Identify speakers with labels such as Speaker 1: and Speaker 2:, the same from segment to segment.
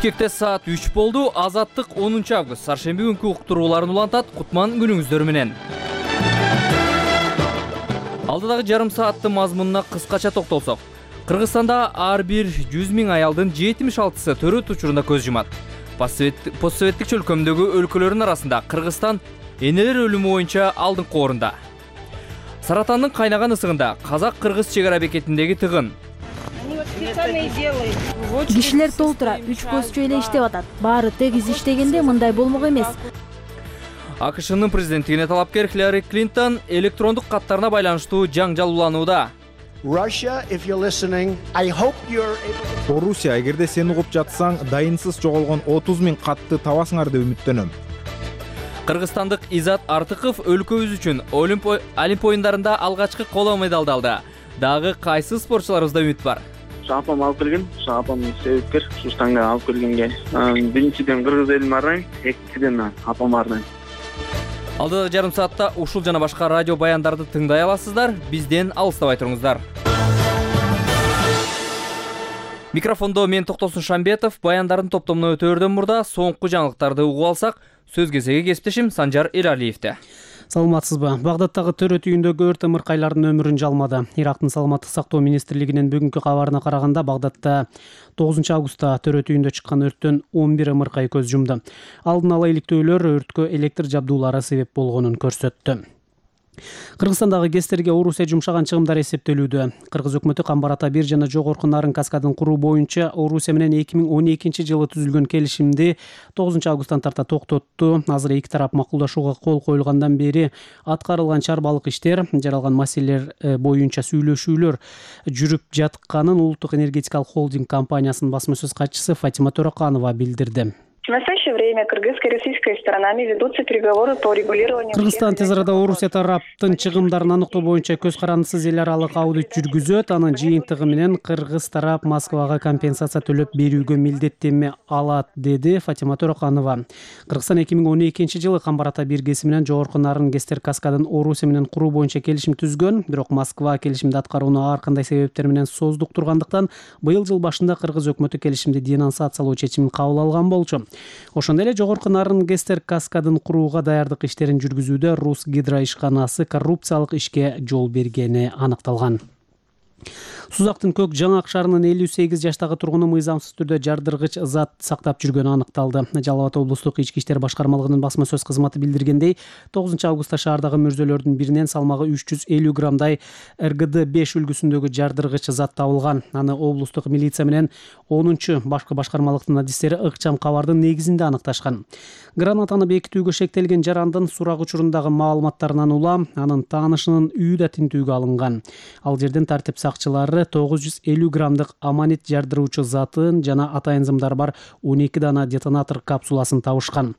Speaker 1: Бишкекте саат 3 болду. Азаттык 10 август. Шаршемби күнкү уктурууларын улантат. Кутман күнүңүздөр менен. Алдыдагы жарым саатты мазмунуна кыскача токтолсок. Кыргызстанда ар бир 100 000 аялдын 76сы төрөт учурунда көз жумат. Постсоветтик чөлкөмдөгү өлкөлөрдүн арасында Кыргызстан энелер өлүмү боюнча алдыңкы орунда. Саратандын кайнаган ысыгында казак-кыргыз чегара бекетиндеги тыгын.
Speaker 2: Кишилер толтура, 3 көзчө эле иштеп атат. Баары тегиз иштегенде мындай болмок эмес.
Speaker 1: АКШнын президенттигине талапкер Хиллари Клинтон электрондук каттарына байланыштуу жаңжал уланууда.
Speaker 3: Орусия, эгерде сен угуп жатсаң, дайынсыз жоголгон 30 000 катты табасыңар деп үмүттөнөм.
Speaker 1: Кыргызстандык Изат Артыков өлкөбүз үчүн Олимп оюндарында алгачкы коло медалды алды. Дагы кайсы спортчуларыбызда үмүт бар?
Speaker 4: Апам алып келген, апам себепкер, Сустанга алып келгенге. Биринчиден кыргыз элин арнайм, экинчиден апам арнайм.
Speaker 1: Алдыдагы жарым саатта ушул жана башка радио баяндарды тыңдай аласыздар. Бизден алыстабай туруңуздар. Микрофондо мен Токтосун Шамбетов, баяндардын топтомуна өтөөрдөн мурда соңку жаңылыктарды угуп алсак, сөз кезеги кесиптешим Санжар Элалиевде.
Speaker 5: Саламатсызбы. Багдадтагы төрөт үйүндөгү өрт ымыркайлардын өмүрүн жалмады. Ирактын саламаттык сактоо министрлигинин бүгүнкү кабарына караганда, Багдадта 9 августта төрөт үйүндө чыккан өрттөн 11 ымыркай көз жумду. Алдын ала иликтөөлөр өрткө электр жабдуулары себеп болгонун көрсөттү. Кыргызстандагы ГЭСтерге Орусия жумшаган чыгымдар эсептелүүдө. Кыргыз өкмөтү Камбар-Ата 1 жана Жогорку Нарын каскадын куруу боюнча Орусия менен 2012-жылы түзүлгөн келишимди 9 августтан тарта токтотту. Азыр эки тарап макулдашууга кол коюлгандан бери аткарылган чарбалык иштер, жаралган маселелер боюнча сүйлөшүүлөр жүрүп жатканын Улуттук энергетикалык холдинг компаниясынын басма сөз катчысы Фатима Төрөканова билдирди.
Speaker 6: В настоящее время кыргызско-российской сторонами ведутся переговоры по регулированию.
Speaker 5: Кыргызстан тез арада Орусия тараптын чыгымдарын аныктоо боюнча көз карандысыз эл аралык аудит жүргүзөт. Анын жыйынтыгы менен кыргыз тарап Москвага компенсация төлөп берүүгө милдеттенме алат, деди Фатима Төрөканова. Кыргызстан 2012-жылы Камбар-Ата 1 ГЭСи менен Жогорку Нарын ГЭСтер каскадын Орусия менен куруу боюнча келишим түзгөн. Бирок Москва келишимди аткарууну ар кандай себептер менен создуктургандыктан быйыл жыл башында кыргыз өкмөтү келишимди денонсациялоо чечимин кабыл алган болчу. Ошондой эле Жогорку Нарын ГЭСтер каскадын курууга даярдык иштерин жүргүзүүдө Рус гидро ишканасы коррупциялык ишке жол бергени аныкталган. Сузактын Көк Жаңак шаарынын 58 жаштагы тургуну мыйзамсыз түрдө жардыргыч зат сактап жүргөнү аныкталды. Жалал Абад облустук ички иштер башкармалыгынын басма сөз кызматы билдиргендей, 9 августта шаардагы мөрзөлөрдүн биринен салмагы 350 граммдай РГД-5 үлгүсүндөгү жардыргыч зат табылган. Аны облустук милиция менен 10-чу башкы башкармалыктын адистери ыкчам кабардын негизинде аныкташкан. Гранатаны бекитүүгө шектелген жарандын сурак учурундагы маалыматтарынан улам анын таанышынын үйү да тинтүүгө алынган. Ал жерден тартип сакчылары 950 граммдык аманит жардыруучу затын жана атайын-зымдар бар 12 дана детонатор капсуласын табышкан.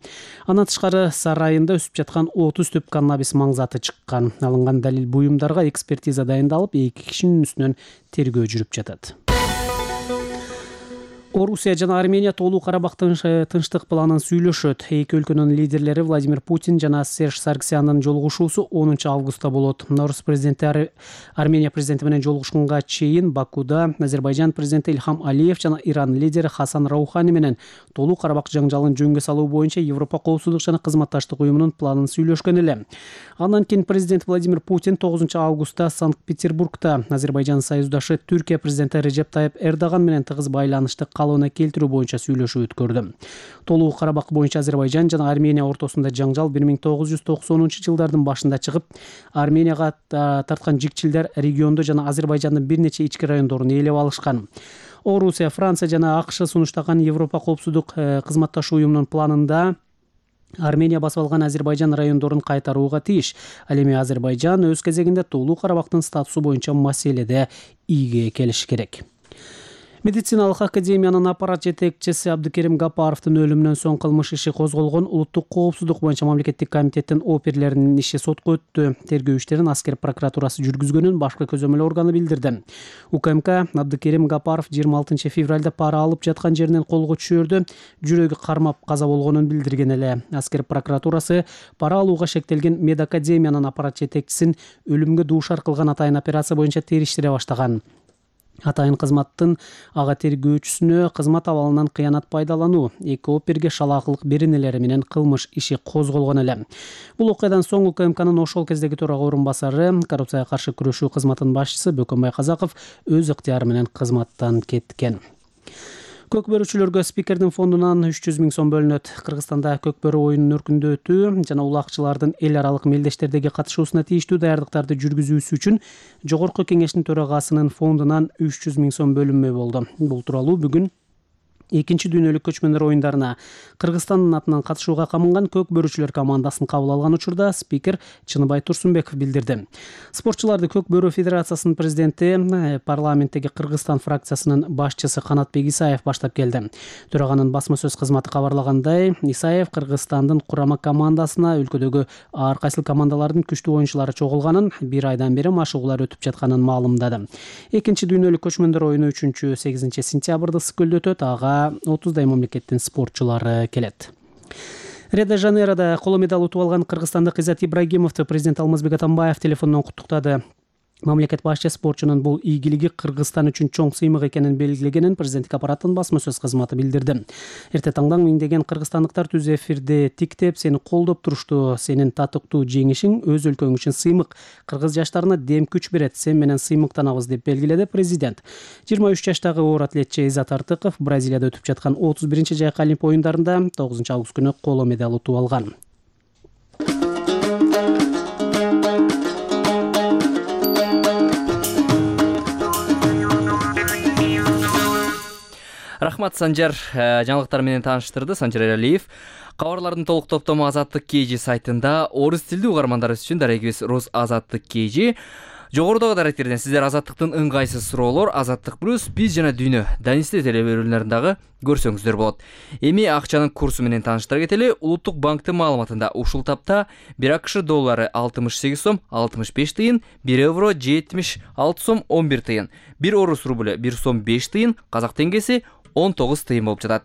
Speaker 5: Андан тышкары сарайында өсүп жаткан 30 түп каннабис маңзаты чыккан. Алынган далил буюмдарга экспертиза дайындалып, 2 кишинин үстүнөн тергөө жүрүп жатат. Орусия жана Армения Тоолуу Карабактын тынчтык планын сүйлөшөт. Эки өлкөнүн лидерлери Владимир Путин жана Серж Саргсяндын жолугушуусу 10 августта болот. Орус президенти Армения президенти менен жолугушканга чейин Бакуда Азербайжан президенти Ильхам Алиев жана Иран лидери Хасан Раухани менен Тоолуу Карабак жаңжалын жөнгө салуу боюнча Европа коопсуздук жана кызматташтык уюмунун планын сүйлөшкөн эле. Андан кийин президент Владимир Путин 9 августта Санкт-Петербургда Азербайжан союздашы Түркия президенти Режеп Тайып Эрдоган менен тыгыз байланышты калыбына келтирүү боюнча сүйлөшүү өткөрдү. Тоолуу Карабак боюнча Азербайжан жана Армения ортосунда жаңжал 1990-жылдардын башында чыгып, Арменияга тарткан жикчилдер регионду жана Азербайжандын бир нече ички райондорун ээлеп алышкан. Орусия, Франция жана АКШ сунуштаган Европа коопсуздук кызматташуу уюмунун планында Армения басып алган Азербайжан райондорун кайтарууга тийиш. Ал эми Азербайжан өз кезегинде Тоолуу Карабактын статусу боюнча маселеде ийге келиши керек. Медициналык академиянын аппарат жетекчиси Абдыкерим Гапаровдун өлүмүнөн соң кылмыш иши козголгон Улуттук коопсуздук боюнча мамлекеттик комитеттин оперлеринин иши сотко өттү. Тергөө иштерин аскер прокуратурасы жүргүзгөнүн башкы көзөмөл органы билдирди. УКМК Абдыкерим Гапаров 26 февралда пара алып жаткан жеринен колго түшөрдө жүрөгү кармап каза болгонун билдирген эле. Аскер прокуратурасы пара алууга шектелген медакадемиянын аппарат жетекчисин өлүмгө дуушар кылган атайын операция боюнча териштире баштаган. Атайын кызматтын ага тергөөчүсүнө кызмат абалынан кыянат пайдалануу, эки оперге шалаакылык беренелери менен кылмыш иши козголгон эле. Бул окуядан соң УКМКнын ошол кездеги төрага орун басары, коррупцияга каршы күрөшүү кызматынын башчысы Бөкөнбай Казаков өз ыктыяры менен кызматтан кеткен. Көк бөрүчүлөргө спикердин фондунан 300 000 сом бөлүнөт. Кыргызстанда көк бөрү оюнун өркүндөтүү жана улакчылардын эл аралык мелдештердеги катышуусуна тийиштүү даярдыктарды жүргүзүүсү үчүн Жогорку Кеңештин төрагасынын фондунан 300 000 сом бөлүнмө болду. Бул тууралуу бүгүн экинчи дүйнөлүк көчмөндөр оюндарына Кыргызстандын атынан катышууга камынган көк бөрүчүлөр командасын кабыл алган учурда спикер Чыныбай Турсунбеков билдирди. Спортчуларды көк бөрү федерациясынын президенти, парламенттеги Кыргызстан фракциясынын башчысы Канатбек Исаев баштап келди. Төраганын басма сөз кызматы кабарлагандай, Исаев Кыргызстандын курама командасына өлкөдөгү ар кайсыл командалардын күчтүү оюнчулары чогулганын, бир айдан бери машыгуулар өтүп жатканын маалымдады. Экинчи дүйнөлүк көчмөндөр оюну 3-8 сентябрда Скөлдө өтөт. Ага 30 мамлекеттин спортчулары келет. Рио-де-Жанейрода коло медаль утуп алган кыргызстандык Иззат Ибрагимовду президент Алмазбек Атамбаев телефондон куттуктады. Мамлекет башчы спортчунун бул ийгилиги Кыргызстан үчүн чоң сыймык экенин белгилегенин президенттик аппараттын басма сөз кызматы билдирди. Эрте таңдан миңдеген кыргызстандыктар түз эфирде тиктеп, сени колдоп турушту. Сенин татыктуу жеңишиң өз өлкөң үчүн сыймык. Кыргыз жаштарына дем күч берет. Сен менен сыймыктанабыз деп белгиледи президент. 23 жаштагы оор атлетчи Иззат Артыков Бразилияда өтүп жаткан 31-жайкы Олимп оюндарында 9 август күнү коло медаль утуп алган.
Speaker 1: Рахмат, Санжар. Жаңылыктар менен тааныштырды Санжар Эралиев. Кабарлардын толук топтому Азаттык KG сайтында орус тилдүү угармандарыбыз үчүн дарегибиз Рус Азаттык KG. Жогорудагы даректерден сиздер Азаттыктын ыңгайсыз суроолор, Азаттык плюс, биз жана дүйнө Данисте телеберүүлөрүндагы көрсөңүздөр болот. Эми акчанын курсу менен тааныштыра кетели. Улуттук банктын маалыматында ушул тапта 1 АКШ доллары 68 сом 65 тыйын, 1 евро 76 сом 11 тыйын, 1 орус рубль 1 сом 5 тыйын, казак теңгеси 19 тыйын болуп жатат.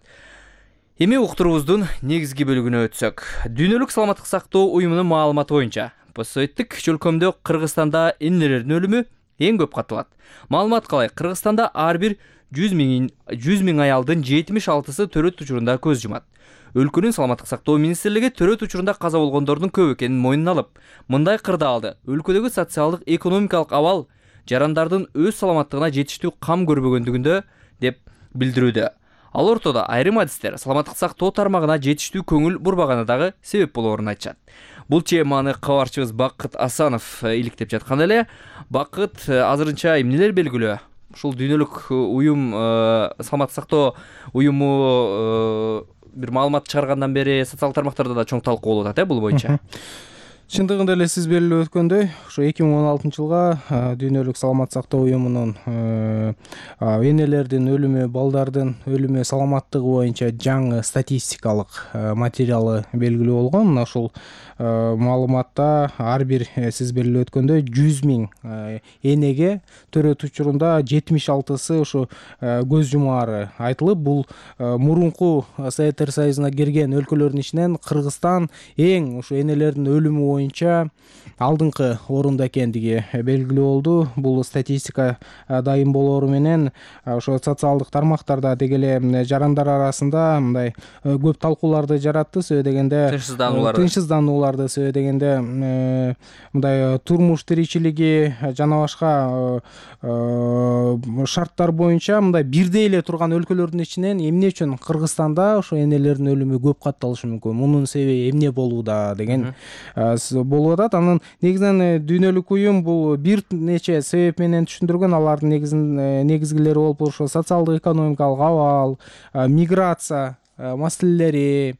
Speaker 1: Эми уктуруубуздун негизги бөлүгүнө өтсөк. Дүйнөлүк саламаттык сактоо уюмунун маалыматы боюнча постсоветтик чөлкөмдө Кыргызстанда энелердин өлүмү эң көп катталат. Маалымат калай? Кыргызстанда ар бир 100 000 аялдын 76-сы төрөт учурунда көз жумат. Өлкөнүн саламаттык сактоо министрлиги төрөт учурунда каза болгондордун көп экенин мойнуна алып, мындай кырда алды. Өлкөдөгү социалдык экономикалык абал жарандардын өз саламаттыгына жетиштүү кам көрбөгөндүгүндө деп билдирүүдө. Ал ортодо айрым адистер саламаттык сактоо тармагына жетиштүү көңүл бурбаганы дагы себеп болоорун айтышат. Бул теманы кабарчыбыз Бакыт Асанов иликтеп жаткан эле. Бакыт, азырынча эмнелер белгилүү? Ушул дүйнөлүк уюм, саламаттык сактоо уюму бир маалымат чыгаргандан бери социалдык тармактарда да чоң талкуу болуп атат, бул боюнча.
Speaker 3: Чындыгында эле сиз белгилеп өткөндөй, ошо 2016-жылга дүйнөлүк саламаттык сактоо уюмунун энелердин өлүмү, балдардын өлүмү саламаттыгы боюнча жаңы статистикалык материалы белгилүү болгон. Ошол маалыматта ар бир сиз белгилеп өткөндөй 100 000 энеге төрөт учурунда 76-сы ошо көз жумаары айтылып, бул мурунку Советтер Союзуна кирген өлкөлөрдүн ичинен Кыргызстан эң ошо энелердин өлүмү боюнча алдыңкы орунда экендиги белгилүү болду. Бул статистика дайым болоору менен ошо социалдык тармактарда деги эле жарандар арасында мындай көп талкууларды жаратты. Себеби дегенде тынчсызданууларды себеби дегенде мындай турмуш тиричилиги жана башка шарттар боюнча мындай бирдей эле турган өлкөлөрдүн ичинен эмне үчүн Кыргызстанда ошо энелердин өлүмү көп катталышы мүмкүн, мунун себеби эмне болууда деген болуп атат. Анын негизинен дүйнөлүк уюм бул бир нече себеп менен түшүндүргөн. Алардын негизгилери болуп ошо социалдык экономикалык абал, миграция маселелери,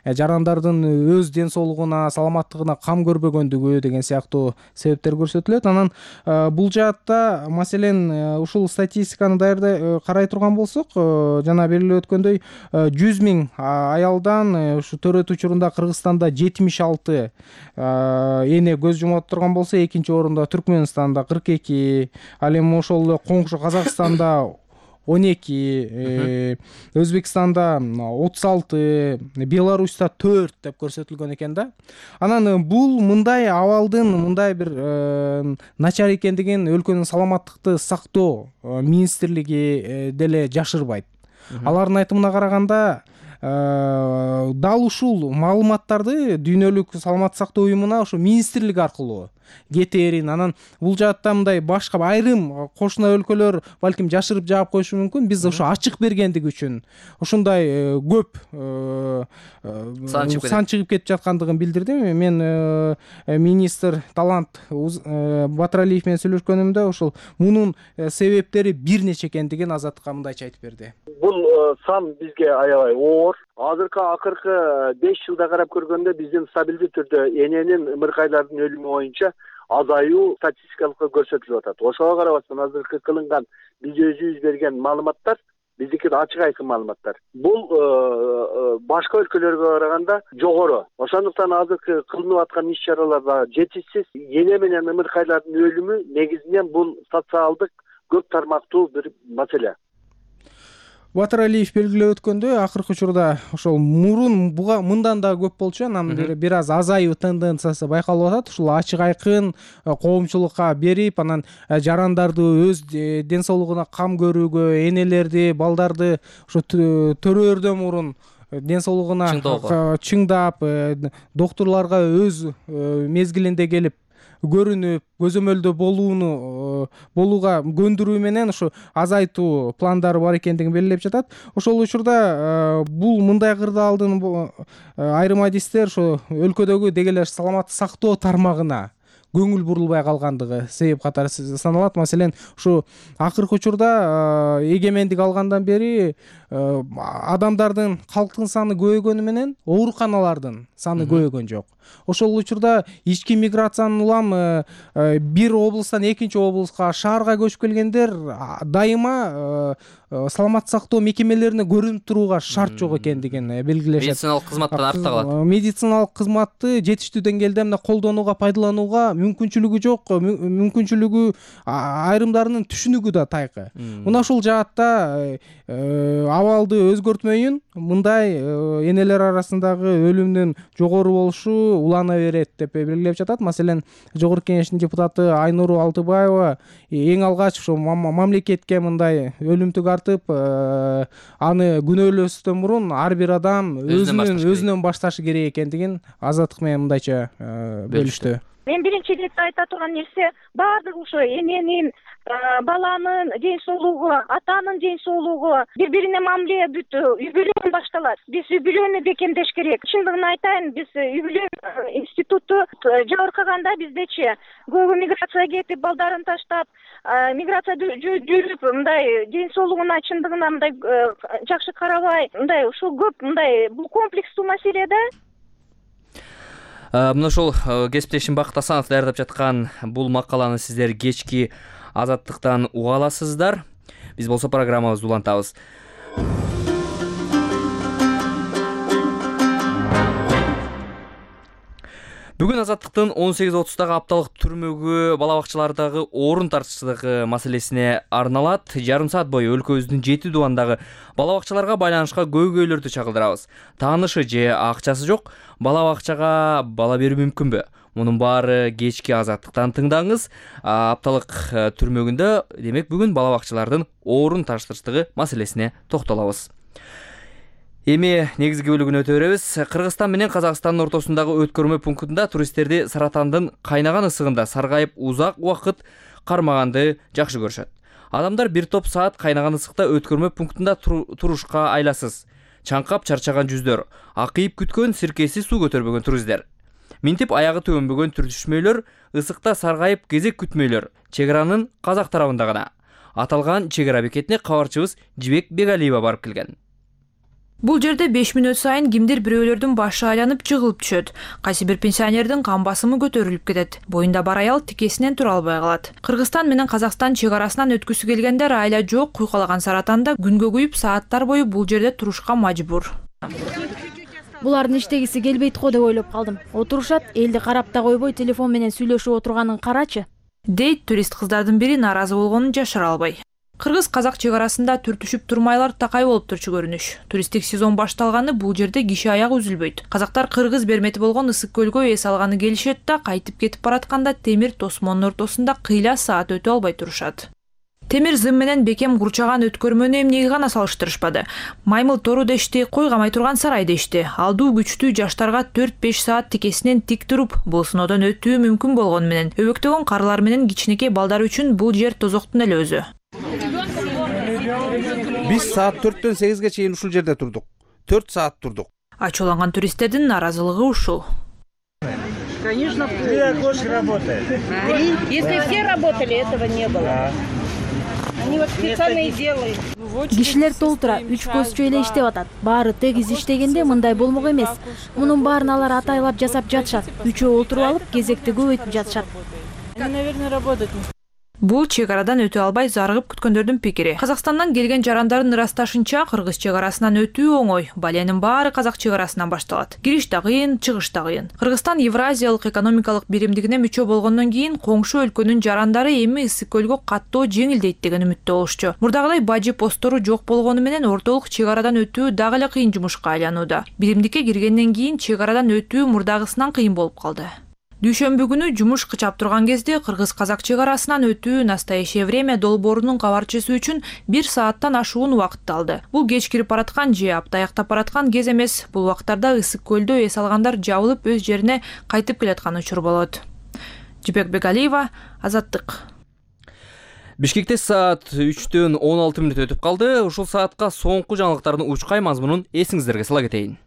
Speaker 3: жарандардын өз ден соолугуна, саламаттыгына кам көрбөгөндүгү деген сыяктуу себептер көрсөтүлөт. Анан бул жаатта маселен ушул статистиканы карай турган болсок, жана белгилеп өткөндөй 100 000 аялдан ушу төрөт учурунда Кыргызстанда 76 эне көз жумат турган болсо, экинчи орунда Түркмөнстанда 42, ал эми ошол эле коңшу Казакстанда 12, Өзбекстанда 36, Беларуста 4 деп көрсөтүлгөн экен да. Анан бул мындай абалдын мындай бир начар экендигин өлкөнүн саламаттыкты сактоо министрлиги деле жашырбайт. Алардын айтымына караганда дал ушул маалыматтарды дүйнөлүк саламаттык сактоо уюмуна ошо министрлик аркылуу кетерин. Анан бул жаатта мындай башка айрым кошуна өлкөлөр балким жашырып жаап коюшу мүмкүн. Биз ошо ачык бергендиги үчүн ушундай көп сан чыгып кетип жаткандыгын билдирдим. Мен министр Талант Батыралиев менен сүйлөшкөнүмдө ошол мунун себептери бир нече экендигин Азаттыкка мындайча айтып берди.
Speaker 7: Бул сан бизге аябай оор. Акыркы 5 жылда карап көргөндө биздин стабилдүү түрдө эненин ымыркайлардын өлүмү боюнча азаюу статистикалык көрсөтүлүп атат. Ошого карабастан азыркы кылынган биз өзүбүз берген маалыматтар биздики ачык айкын маалыматтар. Бул башка өлкөлөргө караганда жогору. Ошондуктан азыркы кылынып аткан иш-чаралар да жетишсиз. Эне менен ымыркайлардын өлүмү негизинен бул социалдык көп тармактуу бир маселе.
Speaker 3: Батыралиев белгилеп өткөндөй, акыркы учурда ошол мурун мындан да көп болчу, анан бир аз азаюу тенденциясы байкалып атат. Ушул ачык айкын коомчулукка берип, анан жарандарды өз ден соолугуна кам көрүүгө, энелерди, балдарды ошо төрөөрдөн мурун ден соолугуна чыңдап, доктурларга өз мезгилинде келип көрүнүп, көзөмөлдө болууга көндүрүү менен ошо азайтуу пландары бар экендигин белгилеп жатат. Ошол учурда бул мындай кырдаалдын айрым адистер ошо өлкөдөгү деги эле саламаттык сактоо тармагына көңүл бурулбай калгандыгы себеп катары саналат. Маселен, ушу акыркы учурда эгемендик алгандан бери адамдардын, калктын саны көбөйгөнү менен ооруканалардын саны көбөйгөн жок. Ошол учурда ички миграциянын улам бир облустан экинчи облуска, шаарга көчүп келгендер дайыма саламаттык сактоо мекемелерине көрүнүп турууга шарт жок экендигин белгилешет.
Speaker 1: Медициналык кызматтан артта калат.
Speaker 3: Медициналык кызматты жетиштүү деңгээлде мына колдонууга, пайдаланууга мүмкүнчүлүгү жок, мүмкүнчүлүгү айрымдарынын түшүнүгү да тайкы. Мына ушул жаатта абалды өзгөртмөйүн мындай энелер арасындагы өлүмдүн жогору болушу улана берет деп белгилеп жатат. Маселен, Жогорку Кеңештин депутаты Айнуру Алтыбаева эң алгач ошо мамлекетке мындай өлүм тартып, аны күнөөлөөсүздөн мурун ар бир адам өзүнөн башташы керек экендигин Азаттык менен мындайча бөлүштү.
Speaker 8: Мен биринчи иретте айта турган нерсе баардыгы ошо эненин, баланын ден соолугу, атанын ден соолугу, бири-бирине мамиле бүт үй бүлөдөн башталат. Биз үй бүлөнү бекемдеш керек. Чындыгын айтайын, биз үй бүлө институту жабыркаганда биздечи көбү миграция кетип, балдарын таштап, миграция жүрүп, мындай ден соолугуна чындыгына мындай жакшы карабай, мындай ушул көп мындай бул комплекстүү маселе да.
Speaker 1: Мына ошол кесиптешим Бакыт Асанов даярдап жаткан бул макаланы сиздер кечки Азаттыктан уга аласыздар. Биз болсо программабызды улантабыз. Бүгүн Азаттыктын 18:30дагы апталык түрмөгү бала бакчалардагы орун тартыштыгы маселесине арналат. Жарым саат бою өлкөбүздүн 7 дубандагы бала бакчаларга байланышка көйгөйлөрдү чагылдырабыз. Таанышы же акчасы жок бала бакчага бала берүү мүмкүнбү? Мунун баары кечки Азаттыктан тыңдаңыз. Апталык түрмөгүндө демек бүгүн бала бакчалардын орун тартыштыгы маселесине токтолобуз. Эми негизги бөлүгүнө өтө беребиз. Кыргызстан менен Казакстандын ортосундагы өткөрмө пунктунда туристтерди саратандын кайнаган ысыгында саргайып узак убакыт кармаганды жакшы көрүшөт. Адамдар бир топ саат кайнаган ысыкта өткөрмө пунктунда турушка айласыз. Чаңкап чарчаган жүздөр, акыйып күткөн сиркеси суу көтөрбөгөн туристтер. Минтип аягы төбөнбөгөн түртүшмөйлөр, ысыкта саргайып кезек күтмөйлөр чек аранын казак тарабында гана. Аталган чек ара бекетине кабарчыбыз Жибек Бегалиева барып келген.
Speaker 9: Бул жерде 5 мүнөт сайын кимдир бирөөлөрдүн башы айланып жыгылып түшөт. Кайсы бир пенсионердин кан басымы көтөрүлүп кетет. Боюнда бар аял тикесинен тура албай калат. Кыргызстан менен Казакстан чек арасынан өткүсү келгендер айла жок куйкалаган Саратанда күнгө күйүп сааттар бою бул жерде турушка мажбур.
Speaker 2: Булардын иштегиси келбейт го деп ойлоп калдым. Отурушат, элди карап да койбой телефон менен сүйлөшүп отурганын карачы.
Speaker 9: Дейт турист кыздардын бири наразы болгонун жашыра албай. Кыргыз-казак чек арасында түртүшүп турмайлар такай болуп турчу көрүнүш. Туристтик сезон башталганы бул жерде киши аягы үзүлбөйт. Казактар кыргыз бермети болгон ысык көлгө эс алганы келишет да, кайтып кетип баратканда темир тосмонун ортосунда кыйла саат өтө албай турушат. Темир зым менен бекем курчаган өткөрмөнү эмнеге гана салыштырышпады. Маймыл тору дешти, кой камай турган сарай дешти. Алдуу күчтүү жаштарга 4-5 саат тикесинен тик туруп, бул сыноодон өтүү мүмкүн болгону менен, өбөктөгөн карлар менен кичинекей балдар үчүн бул жер тозоктун эле өзү.
Speaker 10: Биз саат 4-төн 8-ге чейин ушул жерде турдук. 4 саат турдук.
Speaker 9: Ачууланган туристтердин наразылыгы ушул.
Speaker 11: Конечно, 3 окошка работает. 3? Если все работали, этого не было. Они вот специально и делают.
Speaker 2: Кишилер толтура 3 көзчү эле иштеп атат. Баары тегиз иштегенде мындай болмок эмес. Мунун баарын алар атайлап жасап жатышат. Үчөө отуруп алып, кезекти көбөйтүп жатышат.
Speaker 11: Они, наверное, работают.
Speaker 9: Бул чек арадан өтө албай зарыгып күткөндөрдүн пикири. Казакстандан келген жарандардын ырасташынча, кыргыз чек арасынан өтүү оңой. Баленин баары казак чек арасынан башталат. Кириш да кыйын, чыгыш да кыйын. Кыргызстан Евразиялык экономикалык биримдигине мүчө болгондон кийин коңшу өлкөнүн жарандары эми ысык көлгө каттоо жеңилдейт деген үмүттө болушчу. Мурдагыдай бажы постору жок болгону менен ортолук чек арадан өтүү дагы эле кыйын жумушка айланууда. Биримдикке киргенден кийин чек арадан өтүү мурдагысынан кыйын болуп калды. Дүйшөмбү күнү жумуш кычап турган кезде кыргыз-казак чек арасынан өтүү настоящее время долбоорунун кабарчысы үчүн 1 сааттан ашуун убакытты алды. Бул кеч кирип бараткан же апта аяктап бараткан кез эмес. Бул убактарда ысык көлдө эс алгандар жабылып өз жерине кайтып келаткан учур болот. Жибек Бегалиева, Азаттык.
Speaker 1: Бишкекте саат 3-төн 16 мүнөт өтүп калды. Ушул саатка соңку жаңылыктардын учкай мазмунун эсиңиздерге сала кетейин.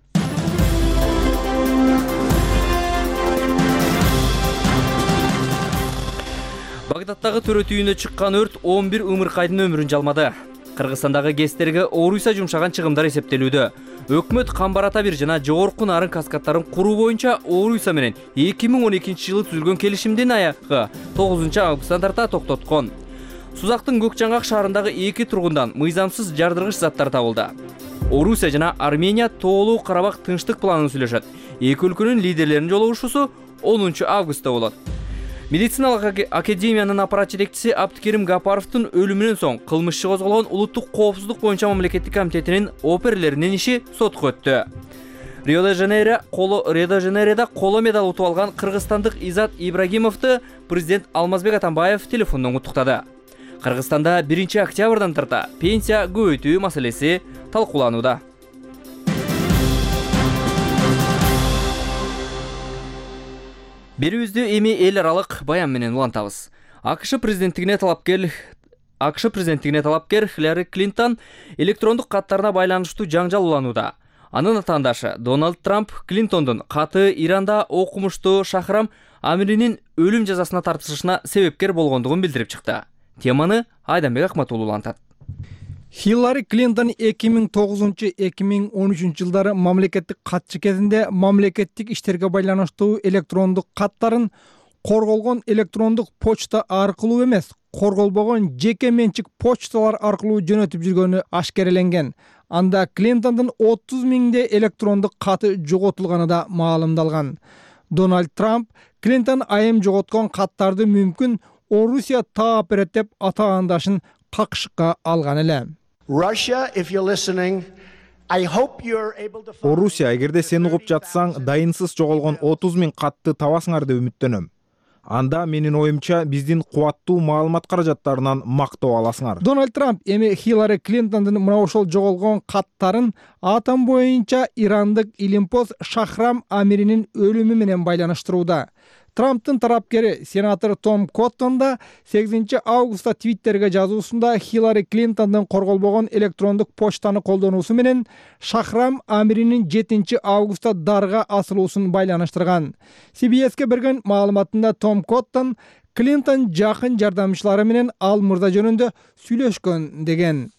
Speaker 1: Багдадтагы төрөт үйүнө чыккан өрт 11 ымыркайдын өмүрүн жалмады. Кыргызстандагы ГЭСтерге орусия жумшаган чыгымдар эсептелүүдө. Өкмөт Камбарата 1 жана жогорку нарын каскадтарын куруу боюнча орусия менен 2012-жылы түзүлгөн келишимдин аягы 9 августтан тарта токтоткон. Сузактын Көкжаңгак шаарындагы 2 тургундан мыйзамсыз жардыргыч заттар табылды. Орусия жана Армения тоолуу Карабак тынчтык планын сүйлөшөт. Эки өлкөнүн лидерлеринин жолугушуусу 10 августта болот. Медициналык академиянын аппарат жетекчиси Абдыкерим Гапаровдун өлүмүнөн соң кылмышчы козголгон улуттук коопсуздук боюнча мамлекеттик комитетинин оперлеринин иши сотко өттү. Рио-де-Жанейрода коло медаль утуп алган кыргызстандык Изат Ибрагимовду президент Алмазбек Атамбаев телефондон куттуктады. Кыргызстанда 1 октябрдан тарта пенсия көбөйтүү маселеси талкууланууда. Берүүбүздү эми эл аралык баян менен улантабыз. АКШ президенттигине талапкер Хиллари Клинтон электрондук каттарына байланыштуу жаңжал уланууда. Анын атаандашы Дональд Трамп Клинтондун каты Иранда окумуштуу Шахрам Амиринин өлүм жазасына тартылышына себепкер болгондугун билдирип чыкты. Теманы Айданбек Акматуллу улантат.
Speaker 3: Хиллари Клинтон 2009-2013 жылдары мамлекеттик катчы кезинде мамлекеттик иштерге байланыштуу электрондук каттарын корголгон электрондук почта аркылуу эмес, корголбогон жеке менчик почталар аркылуу жөнөтүп жүргөнү ашкереленген. Анда Клинтондун 30 миңдей электрондук каты жоготулганы да маалымдалган. Дональд Трамп Клинтон айым жоготкон каттарды мүмкүн Орусия таап деп атаандашын какшыкка алган эле.
Speaker 12: Орусия, эгерде сен угуп жатсаң, дайынсыз жоголгон 30 миң катты табасыңар деп үмүттөнөм. Анда менин оюмча биздин кубаттуу маалымат каражаттарынан мактоо аласыңар.
Speaker 3: Дональд Трамп эми Хиллари Клинтондун мына ошол жоголгон каттарын атом боюнча ирандык илимпоз Шахрам Амиринин өлүмү менен байланыштырууда. Трамптын тарапкери сенатор Том Коттон да 8 августта Твиттерге жазуусунда Хиллари Клинтондун корголбогон электрондук почтаны колдонуусу менен Шахрам Амиринин 7 августта дарга асылуусун байланыштырган. CBS'ке берген маалыматында Том Коттон Клинтон жакын жардамчылары менен ал мырза жөнүндө сүйлөшкөн деген.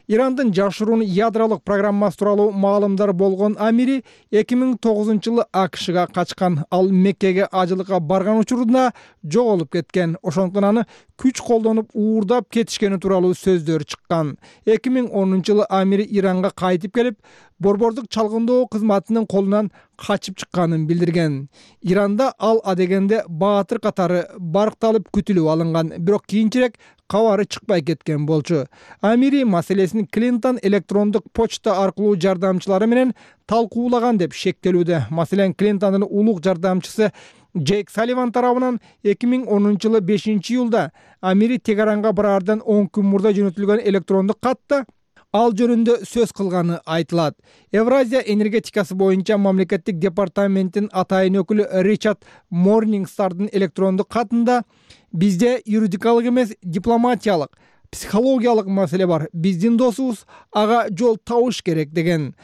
Speaker 3: Ирандын жашыруун ядролук программасы тууралуу маалымдар болгон Амири 2009-жылы АКШга качкан. Ал Меккеге ажылыкка барган учурунда жоголуп кеткен. Ошондуктан аны күч колдонуп уурдап кетишкени тууралуу сөздөр чыккан. 2010-жылы Амири Иранга кайтып келип, борбордук чалгындоо кызматынын колунан качып чыкканын билдирген. Иранда ал адегенде баатыр катары баркталып күтүлүп алынган, бирок кийинчерээк кабары чыкпай кеткен болчу. Амири маселесин Клинтон электрондук почта аркылуу жардамчылары менен талкуулаган деп шектелүүдө. Маселен, Клинтондун улук жардамчысы Джейк Салливан тарабынан 2010-жылы 5-июлда Амири Тегеранга бараардан 10 күн мурда жөнөтүлгөн электрондук катта ал жөнүндө сөз кылганы айтылат. Евразия энергетикасы боюнча мамлекеттик департаменттин атайын өкүлү Ричард Морнингстардын электрондук катында бизде юридикалык эмес, дипломатиялык, психологиялык маселе бар. Биздин досубуз ага жол табыш керек деген.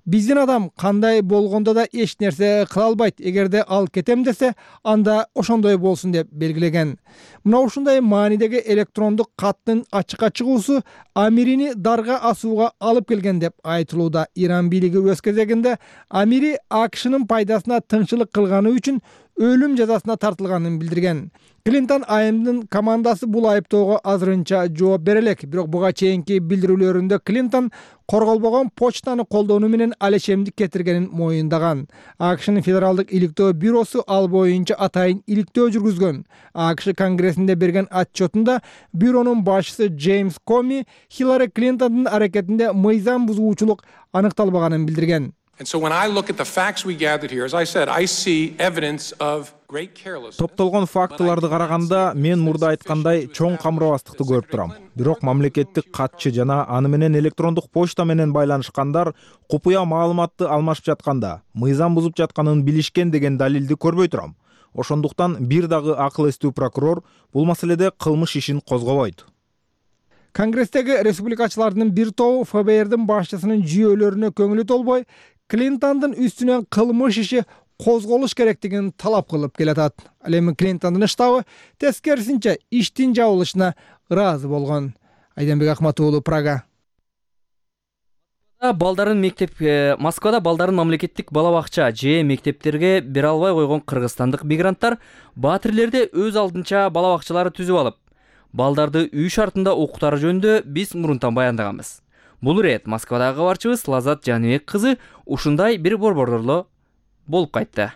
Speaker 3: Биздин адам кандай болгондо да эч нерсе кыла албайт. Эгерде ал кетем десе, анда ошондой болсун деп белгилеген. Мына ушундай маанидеги электрондук каттын ачыкка чыгуусу Амирини дарга асууга алып келген деп айтылууда. Иран бийлиги өз кезегинде Амири АКШнын пайдасына тыңчылык кылганы үчүн өлүм жазасына тартылганын билдирген. Клинтон айымдын командасы бул айыптоого азырынча жооп бере элек, бирок буга чейинки билдирүүлөрүндө Клинтон корголбогон почтаны колдонуу менен алешемдик кетиргенин моюндаган. АКШнын федералдык иликтөө бюросу ал боюнча атайын иликтөө жүргүзгөн. АКШ Конгрессинде берген отчетунда бюронун башчысы Джеймс Коми Хиллари Клинтондун аракетинде мыйзам бузуучулук аныкталбаганын билдирген.
Speaker 12: Топтолгон фактыларды караганда мен мурда айткандай чоң камырабастыкты көрүп турам. Бирок мамлекеттик катчы жана аны менен электрондук почта менен байланышкандар купуя маалыматты алмашып жатканда мыйзам бузуп жатканын билишкен деген далилди көрбөй турам. Ошондуктан бир дагы акыл эстүү прокурор бул маселеде кылмыш ишин козгобойт.
Speaker 3: Конгресстеги республикачылардын бир тобу ФБРдин башчысынын жүйөлөрүнө көңүлү толбой, Клинтондун үстүнөн кылмыш иши козголуш керектигин талап кылып келатат. Ал эми Клинтондун штабы тескерисинче иштин жабылышына ыраазы болгон. Айданбек Акматуулу, Прага.
Speaker 1: Москвада балдарын мамлекеттик бала бакча же мектептерге бере албай койгон кыргызстандык мигранттар баатирлерде өз алдынча бала бакчалары түзүп алып, балдарды үй шартында окутары жөнүндө биз мурунтан баяндаганбыз. Бул ирет Москвадагы кабарчыбыз Лазат Жаныбек кызы ушундай бир борбордо болуп кайтты.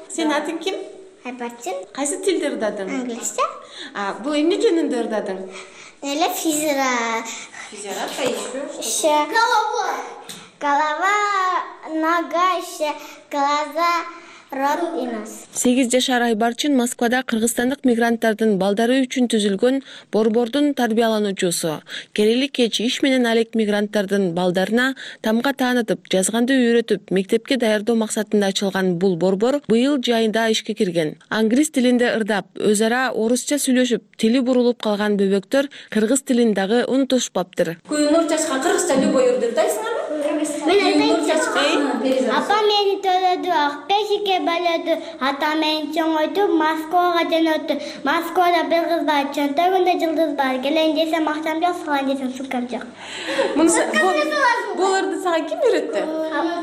Speaker 13: Сен атың ким?
Speaker 14: Айбарчын.
Speaker 13: Кайсы тилде ырдадың?
Speaker 14: Англисче.
Speaker 13: Бул эмне жөнүндө ырдадың?
Speaker 14: Эле физра.
Speaker 13: Физра
Speaker 14: еще. Голова, нога, еще глаза, рот и нос.
Speaker 13: 8 жашар Айбарчын Москвада кыргызстандык мигранттардын балдары үчүн түзүлгөн борбордун тарбиялануучусу. Келели кеч иш менен алек мигранттардын балдарына тамга таанытып, жазганды үйрөтүп, мектепке даярдоо максатында ачылган бул борбор быйыл жайында ишке кирген. Англис тилинде ырдап, өз ара орусча сүйлөшүп, тили бурулуп калган бөбөктөр кыргыз тилин дагы унутушпаптыр.
Speaker 15: Күйөнөр чачка кыргызча любой ырдайсыңарбы?
Speaker 14: Апа мени төлөдү, Акбешикке бөлөдү, ата мени чоңойтуп, Москвага жөнөттү. Москвада бир кыз бар, чөнтөгүндө жылдыз бар. Келен десем акчам жок, салган десем сумкам жок.
Speaker 13: Бул ырды сага ким үйрөттү?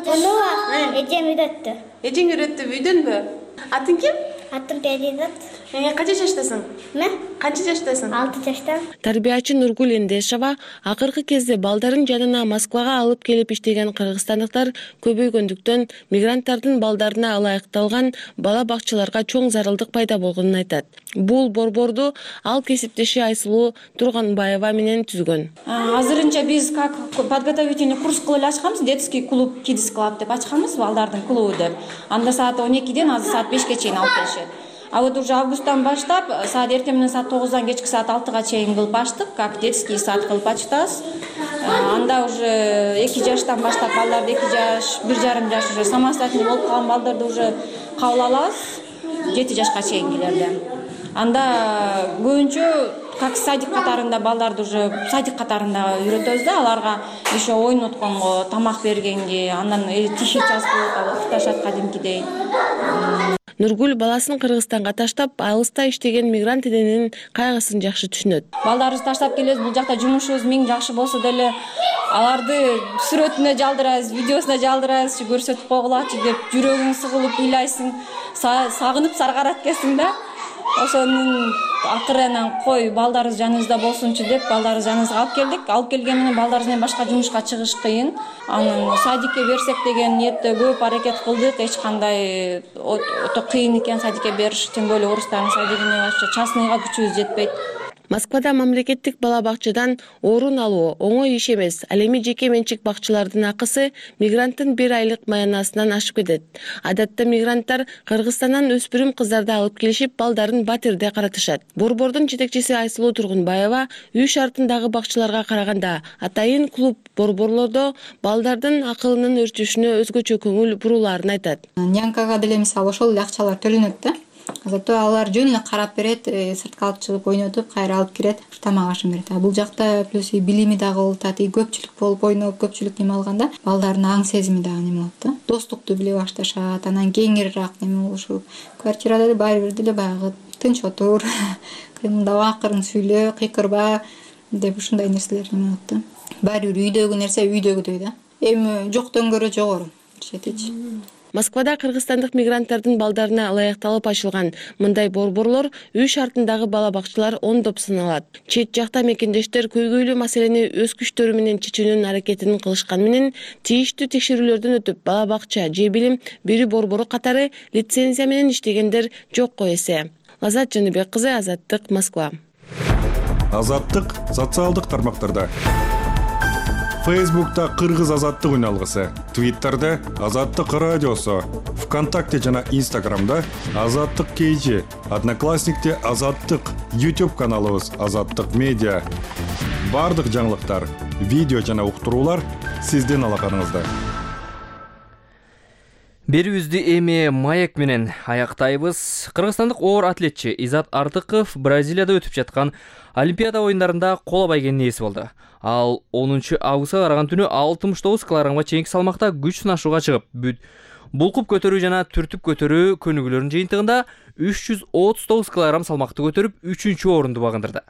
Speaker 14: Муну эжем үйрөттү.
Speaker 13: Эжең үйрөттү, үйдөнбү? Атың ким?
Speaker 14: Атым Перизат.
Speaker 13: Канча жаштасың? Канча жаштасың?
Speaker 14: 6 жаштамын.
Speaker 13: Тарбиячы Нургул Эндешова акыркы кезде балдарын жанына Москвага алып келип иштеген кыргызстандыктар көбөйгөндүктөн мигранттардын балдарына ылайыкталган бала бакчаларга чоң зарылдык пайда болгонун айтат. Бул борборду ал кесиптеши Айсулуу Турганбаева менен түзгөн.
Speaker 15: Азырынча биз как подготовительный курс кылып ачканбыз, детский клуб, Kids Club деп ачканбыз, балдардын клубу деп. Анда саат 12ден азыр саат 5ке чейин алып келишет. А вот уже августтан баштап саат эртең менен саат 9дан кечки саат 6га чейин кылып ачтык, как детский сад кылып ачтабыз. Анда уже 2 жаштан баштап балдарды 2 жаш, 1,5 жаш уже самостоятельный болуп калган балдарды уже кабыл алабыз 7 жашка чейингилерди. Анда көбүнчө как садик катарында балдарды уже садик катарында үйрөтөбүз да, аларга еще ойнотконго, тамак бергенге, андан тихий час болуп окуташат кадимкидей.
Speaker 13: Нургул баласын Кыргызстанга таштап, алыста иштеген мигрант эненин кайгысын жакшы түшүнөт.
Speaker 15: Балдарыбызды таштап келебиз, бул жакта жумушубуз миң жакшы болсо деле аларды сүрөтүнө жалдырабыз, видеосуна жалдырабыз, көрсөтүп койгулачы деп жүрөгүң сыгылып ыйлайсың, сагынып саргарат экенсиң да. Ошонун акыры анан кой балдарыбыз жаныбызда болсунчу деп балдарыбыз жаныбызга алып келдик. Алып келген менен балдарыбыз менен башка жумушка чыгыш кыйын. Анан садикке берсек деген ниетте көп аракет кылдык. Эч кандай өтө кыйын экен садикке бериш, тем более орустардын садигине башка частныйга күчүбүз жетпейт.
Speaker 13: Москвада мамлекеттик бала бакчадан орун алуу оңой иш эмес. Ал эми жеке менчик бакчалардын акысы мигранттын 1 айлык маянасынан ашып кетет. Адатта мигранттар Кыргызстандан өспүрүм кыздарды алып келишип, балдарын батирде каратышат. Борбордун жетекчиси Айсулуу Тургунбаева үй шартындагы бакчаларга караганда атайын клуб борборлордо балдардын акылынын өрчүшүнө өзгөчө көңүл бурулаарын айтат.
Speaker 16: Нянкага деле мисалы ошол эле акчалар төлөнөт да. Зато алар жөн эле карап берет, сыртка алып чыгып ойнотуп, кайра алып кирет, тамак ашын берет. Бул жакта плюс билими дагы болот, көпчүлүк болуп ойноп, көпчүлүк неме алганда балдардын аң сезими дагы неме болот да. Достукту биле башташат, анан кеңирээк неме болушу. Квартирада деле баары бир деле баягы тынч отур, мындай акырын сүйлө, кыйкырба деп ушундай нерселер неме болот да. Баары бир үйдөгү нерсе үйдөгүдөй да. Эми жоктон көрө жогору жетечи.
Speaker 13: Москвада кыргызстандык мигранттардын балдарына ылайыкталып ачылган мындай борборлор үй шартындагы бала бакчалар ондоп саналат. Чет жакта мекендештер көйгөйлүү маселени өз күчтөрү менен чечүүнүн аракетин кылышкан менен тийиштүү текшерүүлөрдөн өтүп бала бакча же билим берүү борбору катары лицензия менен иштегендер жокко эсе. Лазат Жаныбек кызы, Азаттык, Москва.
Speaker 17: Азаттык социалдык тармактарда. Фейсбукта Кыргыз Азаттык үналгысы, Твиттерде Азаттык радиосу, ВКонтакте жана Инстаграмда Азаттык KG, Одноклассникте Азаттык, YouTube каналыбыз Азаттык медиа. Бардык жаңылыктар, видео жана уктуруулар сиздин алаканыңызда.
Speaker 1: Берүүбүздү эми маек менен аяктайбыз. Кыргызстандык оор атлетчи Изат Артыков Бразилияда өтүп жаткан Олимпиада ойындарында коло байгенин ээси болду. Ал 10 августка караган түнү 69 килограммга чейинки салмакта күч сынашууга чыгып, булкуп көтөрүү жана түртүп көтөрүү көнүгүүлөрүнүн жыйынтыгында 339 килограмм салмакты көтөрүп 3-орунду багындырды.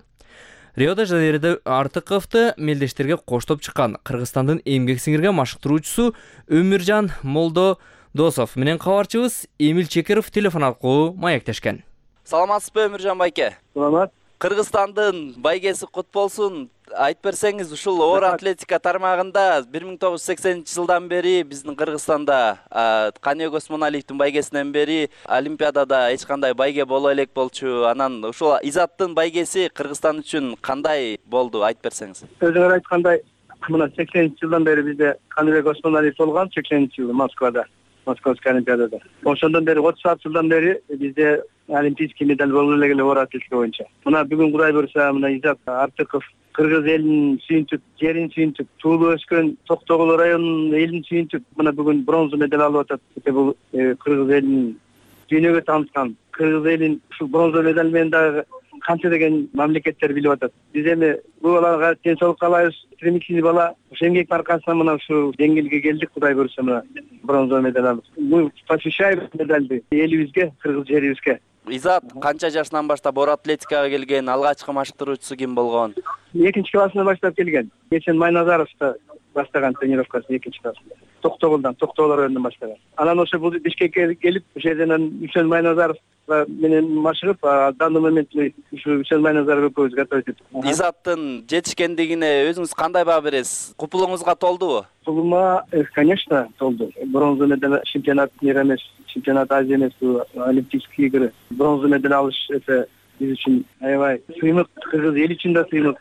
Speaker 1: Рио-де-Жанейрода Артыковду мелдештерге коштоп чыккан Кыргызстандын эмгек сиңирген машыктыруучусу Өмүржан Молдодосов менен кабарчыбыз Эмил Чекеров телефон аркылуу маектешкен.
Speaker 18: Саламатсызбы, Өмүржан байке?
Speaker 7: Саламат.
Speaker 18: Кыргызстандын байгеси кут болсун. Айтып берсеңиз, ушул оор атлетика тармагында 1980-жылдан бери биздин Кыргызстанда Каниогос Монолиевдин байгесинен бери Олимпиадада эч кандай байге боло элек болчу. Анан ушул Изаттын байгеси Кыргызстан үчүн кандай болду, айтып берсеңиз.
Speaker 7: Өзүңөр айткандай, мына 80-жылдан бери бизде Каниогос Монолиев болгон, 80-жылы Москвада, Московский Олимпиадада. Ошондон бери 36 жылдан бери бизде олимпийский медаль боло элек оор атлетика боюнча. Мына бүгүн Кудай буйруса, мына Изат Артыков Кыргыз элин сүйүнтүп, жерин сүйүнтүп, туулуп өскөн Токтогул районунун элин сүйүнтүп, мына бүгүн бронза медаль алып атат. Бул Кыргыз элин дүйнөгө тааныткан, Кыргыз элин ушул бронза медаль менен дагы канча деген мамлекеттер билип атат. Биз эми бул балага тенчтүүлүк каалайбыз, стремительный бала. Ошо эмгектин аркасында мына ушул деңгээлге келдик, Кудай буйруса, мына бронза медаль алып. Мы посвящаем медальды элибизге, кыргыз жерибизге.
Speaker 18: Изат канча жашынан баштап оор атлетикага келген, алгачкы машыктыруучусу ким болгон?
Speaker 7: 2-классынан баштап келген. Эсен Майназаровда баштаган тренировкасын 2-классында. Токтогул районунан баштаган. Анан ошо бул Бишкекке келип, ошол жерден Үчөн Майназаров менен машыгып, данный момент ушу Үчөн Майназаров экөөбүз готовить этип.
Speaker 18: Изаттын жетишкендигине өзүңүз кандай баа бересиз? Купулуңузга толдубу?
Speaker 7: Купулума, конечно, толду. Бронза медаль, чемпионат мира эмес, чемпионат Азии эмес, олимпийские игры. Бронза медаль алыш это биз үчүн аябай сыймык, кыргыз эл үчүн да сыймык.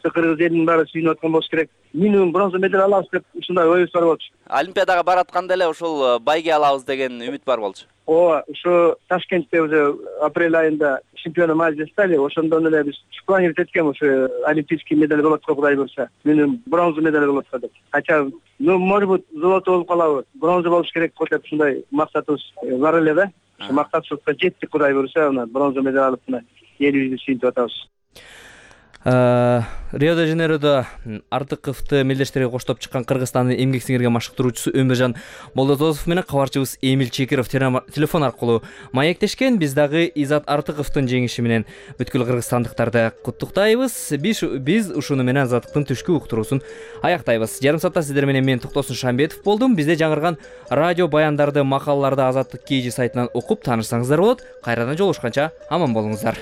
Speaker 7: Кыргыз элинин баары сүйүнүп аткан болуш керек. Минимум бронза медаль алабыз деп ушундай ойубуз бар болчу.
Speaker 18: Олимпиадага баратканда эле ушул байге алабыз деген үмүт бар болчу.
Speaker 7: Ооба, ушу Ташкентте уже апрель айында чемпионом Азии стали. Ошондон эле биз планировать эткем, ушу олимпийский медаль болот го, Кудай буйруса. Минимум бронза медаль болот го деп. Хотя, может быть, золото болуп калабы, бронза болуш керек го деп ушундай максатыбыз бар эле да. Ушу максатыбызга жеттик, Кудай буйруса, бронза медаль алып элибизди сүйүнтүп атабыз.
Speaker 1: Рио де Жанейродо Артыковду мелдештерге коштоп чыккан Кыргызстандын эмгек сиңирген машыктыруучусу Өмүржан Молдозов менен кабарчыбыз Эмил Чекиров телефон аркылуу маектешкен. Биз дагы Изат Артыковдун жеңиши менен бүткүл кыргызстандыктарды куттуктайбыз. Биз ушуну менен Азаттыктын түшкү уктуруусун аяктайбыз. Жарым саатта сиздер менен мен Токтосун Шамбетов болдум. Бизде жаңырган радио баяндарды, макалаларды Азаттык KG сайтынан окуп таанышсаңыздар болот. Кайрадан жолугушканча аман болуңуздар.